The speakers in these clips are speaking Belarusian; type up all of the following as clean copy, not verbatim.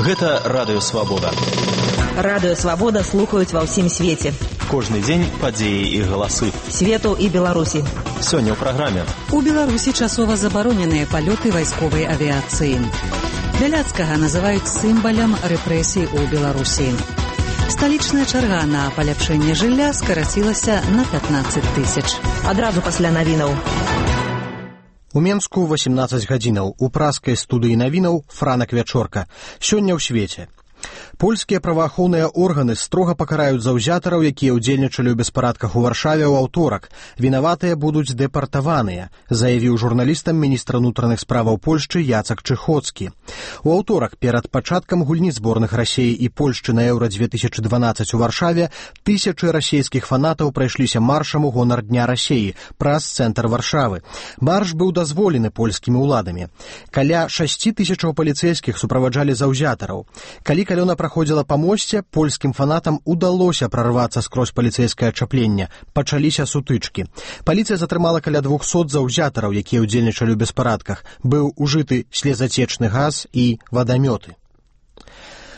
Гэта Радыё Свабода. Радыё Свабода слухаюць ва ўсім свеце. Кожны дзень падзеі і галасы. Свету і Беларусі. Сёння ў праграме. У Беларусі часова забароненыя палёты вайсковай авіяцыі. Бяляцкага называюць сімвалам рэпрэсій у Беларусі. Сталічная чарга на паляпшэнне жылля скарацілася на 15 тысяч. Адразу пасля навінаў. У Менску 18 гадзінаў. У праскай студыі навінаў Франак Вячорка. Сёння ў свеце. Польскія праваахоўныя органы строга пакараюць заўзятараў, якія ўдзельнічалі ў беспарадках у Варшаве ў аўторак. Вінаватыя будуць дэпартаваныя, заявіў журналістам міністр унутраных справаў Польшчы Яцак Чыхоцкі. У аўторак перад пачаткам гульні зборных Расеі і Польшчы на Еўра-2012 у Варшаве тысячы расейскіх фанатаў прайшліся маршам у гонар Дня Расеі праз цэнтр Варшавы. Марш быў дазволены польскімі ўладамі. Каля 6 тысячаў паліцэйскіх суправаджалі заўзятараў. Калі калёна праходзіла па мосце, польскім фанатам удалося прарвацца скрозь паліцэйскае ачапленне. Пачаліся сутычкі. Паліцыя затрымала каля 200 заўзятараў, якія ўдзельнічалі ў беспарадках. Быў ужыты слезацечны газ і вадамёты.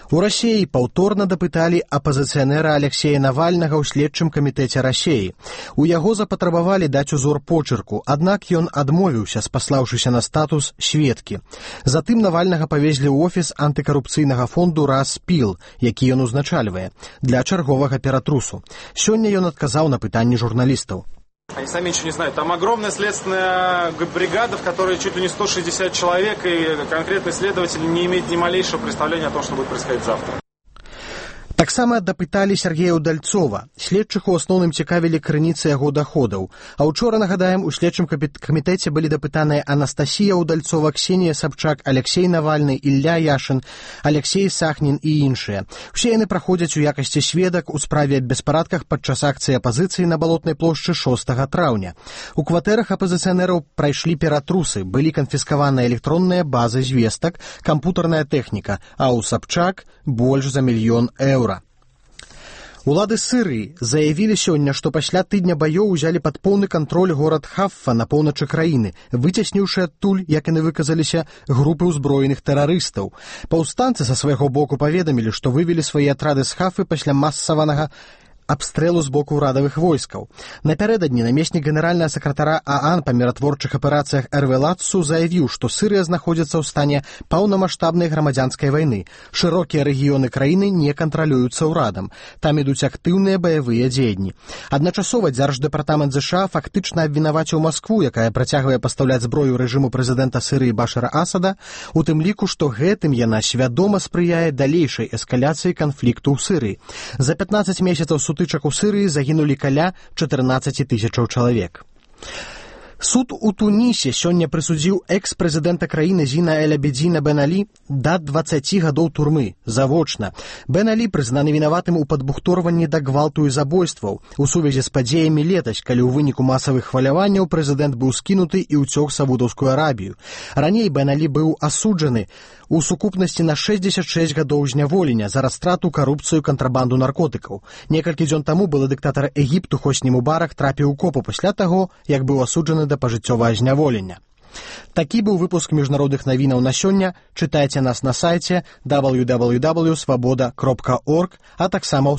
У Расеі паўторна дапыталі апазіцыянера Алексея Навальнага ў следчым камітэце Расеі. У яго запатрабавалі даць узор почырку, аднак ён адмовіўся, спаслаўшыся на статус сведкі. Затым Навальнага павезлі ў офіс антыкарупцыйнага фонду «Распіл», які ён узначальвае, для чарговага ператрусу. Сёння ён адказаў на пытанні журналістаў. Они сами ничего не знают. Там огромная следственная бригада, в которой чуть ли не 160 человек, и конкретный следователь не имеет ни малейшего представления о том, что будет происходить завтра. Таксама дапыталі Сергея Удальцова. Следчых у асноўным цікавілі крыніцы яго доходаў. А ўчора, нагадаем, у следчым камітэце былі дапытаныя Анастасія Удальцова, Ксенія Сабчак, Алексей Навальны, Ілля Яшин, Алексей Сахнін і іншыя. Усе яны праходзяць у якасці сведак у справе аб беспарадках падчас акцыі апазіцыі на Балотнай плошчы 6 траўня. У кватэрах апазіцыянераў прайшлі ператрусы, былі канфіскаваныя электронныя базы звестак, кампутарная тэхніка, а ў Сабчак больш за 1 мільён еўра. Улады Сырыі заявілі сёння, што пасля тыдня баёў узялі пад поўны кантроль горад Хаффа на поўначы краіны, выцесніўшы адтуль, як яны выказаліся, групы ўзброеных тэрарыстаў. Паўстанцы са свайго боку паведамілі, што вывелі свае атрады з Хаффы пасля масаванага абстрэлу з боку ўрадавых войскаў. Напярэдадні намеснік генеральнага сакратара ААН па міратворчых аперацыях Эрве Лацу заявіў, што Сырыя знаходзіцца ў стане паўнамаштабнай грамадзянскай вайны. Шырокія рэгіёны краіны не кантралююцца ўрадам. Там ідуць актыўныя баявыя дзеянні. Адначасова Дзярждэпартамент ЗША фактычна абвінаваціў Маскву, якая працягвае пастаўляць зброю рэжыму прэзідэнта Сырыі Башара Асада, у тым ліку, што гэтым яна свядома спрыяе далейшай эскаляцыі канфлікту ў Сырыі. За 15 месяцаў сутычак у Сырыі загінулі каля 14 тысячаў чалавек. Суд у Тунісе сёння прысудзіў экс-прэзідэнта краіны Зіна Эль-Абедзіна Бен Алі да 20 гадоў турмы, завочна. Бен Алі прызнаны вінаватым у падбухторванні да гвалту і забойстваў у сувязі з падзеямі летась, калі ў выніку масавых хваляванняў прэзідэнт быў скінуты і ўцёк Саудаўскую Арабію. Раней Бен Алі быў асуджаны у сукупнасці на 66 гадоў зняволення за растрату, карупцыю, кантрабанду наркотыкаў. Некалькі дзён таму былы дыктатар Егіпту Хосні Мубарак трапіў у копу пасля таго, як быў асуджаны да пажыццёвага зняволення. Такі быў выпуск міжнародных навінаў на сёння. Чытайце нас на сайце www.swaboda.org, а таксама ў